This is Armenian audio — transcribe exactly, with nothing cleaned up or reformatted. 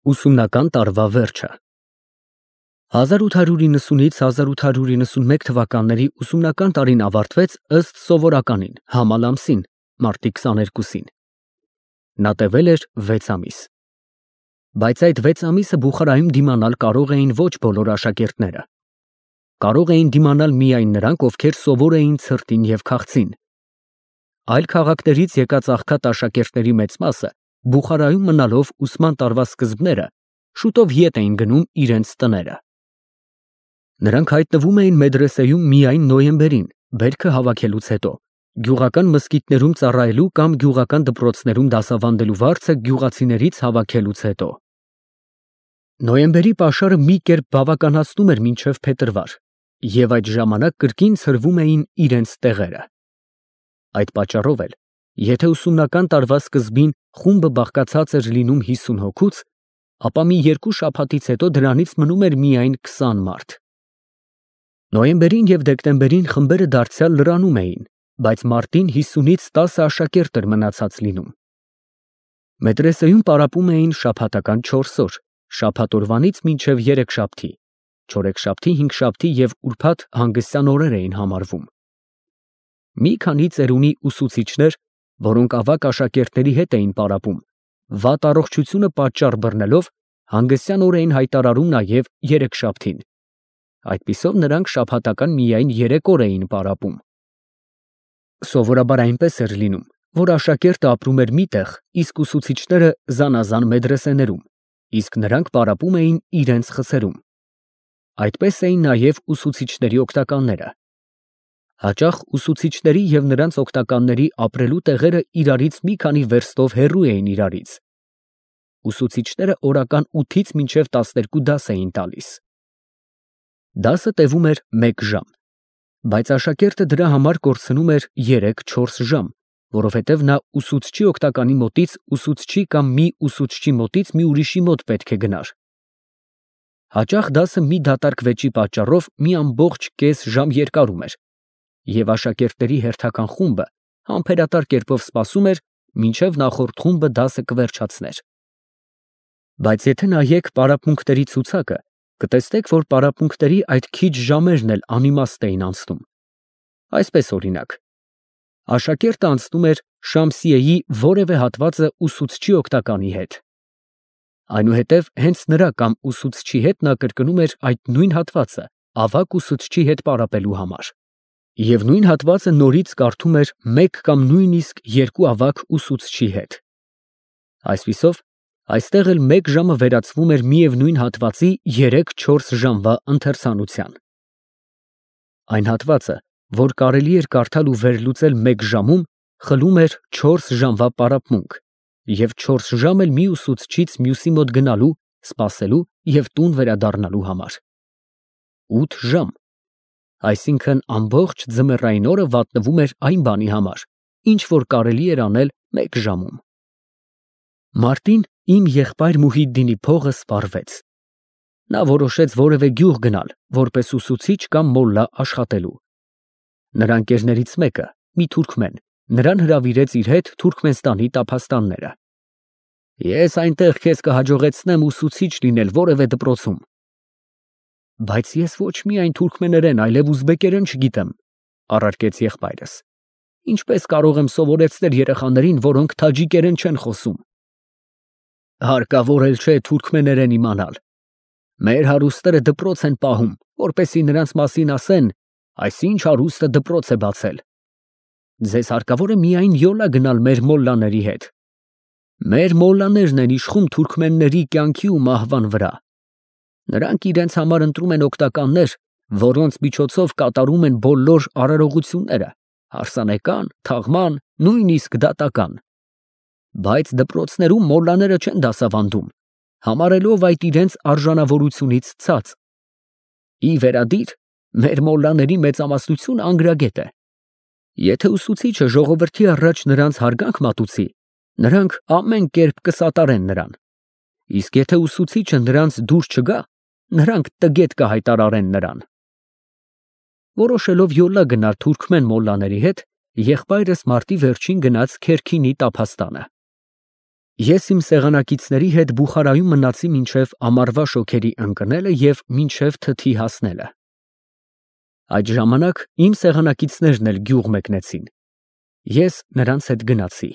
Ուսումնական տարվա վերջը հազար ութ հարյուր իննսունից հազար ութ հարյուր իննսունմեկ թվականների ուսումնական տարին ավարտվեց ըստ սովորականին համալ ամսին մարտի քսաներկուսին։ Նա տևել էր վեց ամիս։ Բայց այդ վեց ամիսը Բուխարայում դիմանալ կարող էին ոչ բոլոր աշակերտները։ Կարող էին դիմանալ միայն նրանք, ովքեր սովոր էին ցրտին և քաղցին։ Այլ քաղաքներից եկած աղքատ աշակերտների մեծ մասը Բուխարայում մնալով ուսման տարվա սկզբները շուտով ետ էին գնում իրենց տները։ Նրանք հայտնվում էին մեդրեսեում միայն նոյեմբերին, բերքը հավաքելուց հետո, գյուղական մզկիթներում ծառայելու կամ գյուղական դպրոցներում դասավանդելու վարձը գյուղացիներից հավաքելուց հետո։ Նոյեմբերի պաշարը մի կերպ բավականացնում էր մինչև փետրվար, և այդ ժամանակ կրկին ցրվում էին իրենց տեղերը։ Այդ պատճառով էլ, եթե ուսումնական տարվա սկզբին խումբը բաղկացած էր լինում հիսուն հոգուց, ապա մի երկու շաբաթից հետո դրանից մնում էր միայն քսան մարդ։ Նոյեմբերին և դեկտեմբերին խմբերը դարձյալ լրանում էին, բայց մարտին հիսունից տասը աշակերտ էր մնացած լինում։ Մեդրեսեում պարապում էին շաբաթական չորս օր, շաբաթ օրվանից մինչև երեքշաբթի, չորեքշաբթի, հինգշաբթի և ուրբաթ հանգստյան օրեր էին համարվում։ Մի քանի ծերունի ուսուցիչներ, որոնք ավագ աշակերտների հետ էին պարապում, վատ առողջությունը պատճառ բռնելով, հանգստյան օր էին հայտարարում նաև երեքշաբթին։ Այդպիսով նրանք շաբաթական միայն երեք օր էին պարապում։ Սովորաբար այնպես էր լինում, որ աշակերտը ապրում էր մի տեղ, իսկ ուսուցիչները զանազան մեդրեսեներում, իսկ նրանք պարապում էին իրենց խցերում։ Այդպես էին նաև ուսուցիչների օգնականները։ Հաճախ ուսուցիչների և նրանց օգնականների ապրելու տեղերը իրարից մի քանի վերստով հեռու էին իրարից։ Ուսուցիչները օրական ութից մինչև տասներկու դաս էին տալիս։ Դասը տևում էր մեկ ժամ, բայց աշակերտը դրա համար կորցնում էր երեք֊չորս ժամ, որովհետև նա ուսուցչի օգնականի մոտից ուսուցչի կամ մի ուսուցչի մոտից մի ուրիշի մոտ պետք է գնար։ Հաճախ դասը մի դատարկվեճի պատճառով մի ամբողջ կես ժամ երկարում էր, և աշակերտների հերթական խումբը համբերատար կերպով սպասում էր, մինչև նախորդ խումբը դասը կվերջացներ։ Բայց եթե նայեք պարապմունքների ցուցակը, կտեսնեք, որ պարապմունքների այդ քիչ ժամերն էլ անիմաստ էին անցնում։ Այսպես օրինակ, աշակերտը անցնում էր Շամսիեի որևէ հատվածը ուսուցչի օգնականի հետ։ Այնուհետև հենց նրա կամ ուսուցչի հետ նա կրկնում էր այդ նույն հատվածը ավագ ուսուցչի հետ պարապելու համար։ Եվ նույն հատվածը նորից կարդում էր մեկ կամ նույնիսկ երկու ավագ ուսուցչի հետ։ Այսպիսով, այստեղ էլ մեկ ժամը վերածվում էր միևնույն հատվածի երեք֊չորս ժամվա ընթերցանության։ Այն հատվածը, որ կարելի էր կարդալ ու վերլուծել մեկ ժամում, խլում էր չորս ժամվա պարապմունք և չորս ժամ էլ մի ուսուցչից մյուսի մոտ գնալու, սպասելու և տուն վերադառնալու համար։ Ութ ժամ, այսինքն ամբողջ ձմեռային օրը վատնվում էր այն բանի համար, ինչ որ կարելի էր անել մեկ ժամում։ Մարտին իմ եղբայր Մուհիդդինի փողը սպառվեց։ Նա որոշեց որևէ գյուղ գնալ, որպես ուսուցիչ կամ մոլլա աշխատելու։ Նրա ընկերներից մեկը, մի թուրքմեն, նրան հրավիրեց իր հետ Թուրքմենստանի տափաստանները։ Ես այնտեղ քեզ կհաջողեցնեմ ուսուցիչ լինել որևէ դպրոցում։ Բայց ես ոչ միայն թուրքմեներեն, այլև ուզբեկերեն չգիտեմ, առարկեց եղբայրս։ Ինչպես կարող եմ սովորեցնել երեխաներին, որոնք թաջիկերեն չեն խոսում։ Հարկավոր էլ չէ թուրքմեներեն իմանալ։ Մեր հարուստները դպրոց են պահում, որպեսզի նրանց մասին ասեն, այսինչ հարուստը դպրոց է բացել։ Ձեզ հարկավոր է միայն յոլա գնալ մեր մոլլաների հետ։ Մեր մոլլաներն են իշխում թուրքմենների կյանքի ու մահվան վրա։ Նրանք իրենց համար ընտրում են օգնականներ, որոնց միջոցով կատարում են բոլոր արարողությունները, հարսանեկան, թաղման, նույնիսկ դատական։ Բայց դպրոցներում մոլլաները չեն դասավանդում, համարելով այդ իրենց արժանավորությունից ցած։ Ի վերադիր, մեր մոլլաների մեծամասնությունը անգրագետ է։ Եթե ուսուցիչը ժողովրդի առաջ նրանց հարգանք մատուցի, նրանք ամեն կերպ կսատարեն նրան, իսկ եթե ուսուցիչը նրանց դուր չգա, նրանք տգետ կհայտարարեն նրան։ Որոշելով յոլա գնալ թուրքմեն մոլլաների հետ, եղբայրս մարտի վերջին գնաց Քերքինի տափաստանը։ Ես իմ սեղանակիցների հետ Բուխարայում մնացի մինչև ամառվա շոգերի ընկնելը և մինչև թթի հասնելը։ Այդ ժամանակ իմ սեղանակիցներն էլ գյուղ մեկնեցին, ես նրանց հետ գնացի։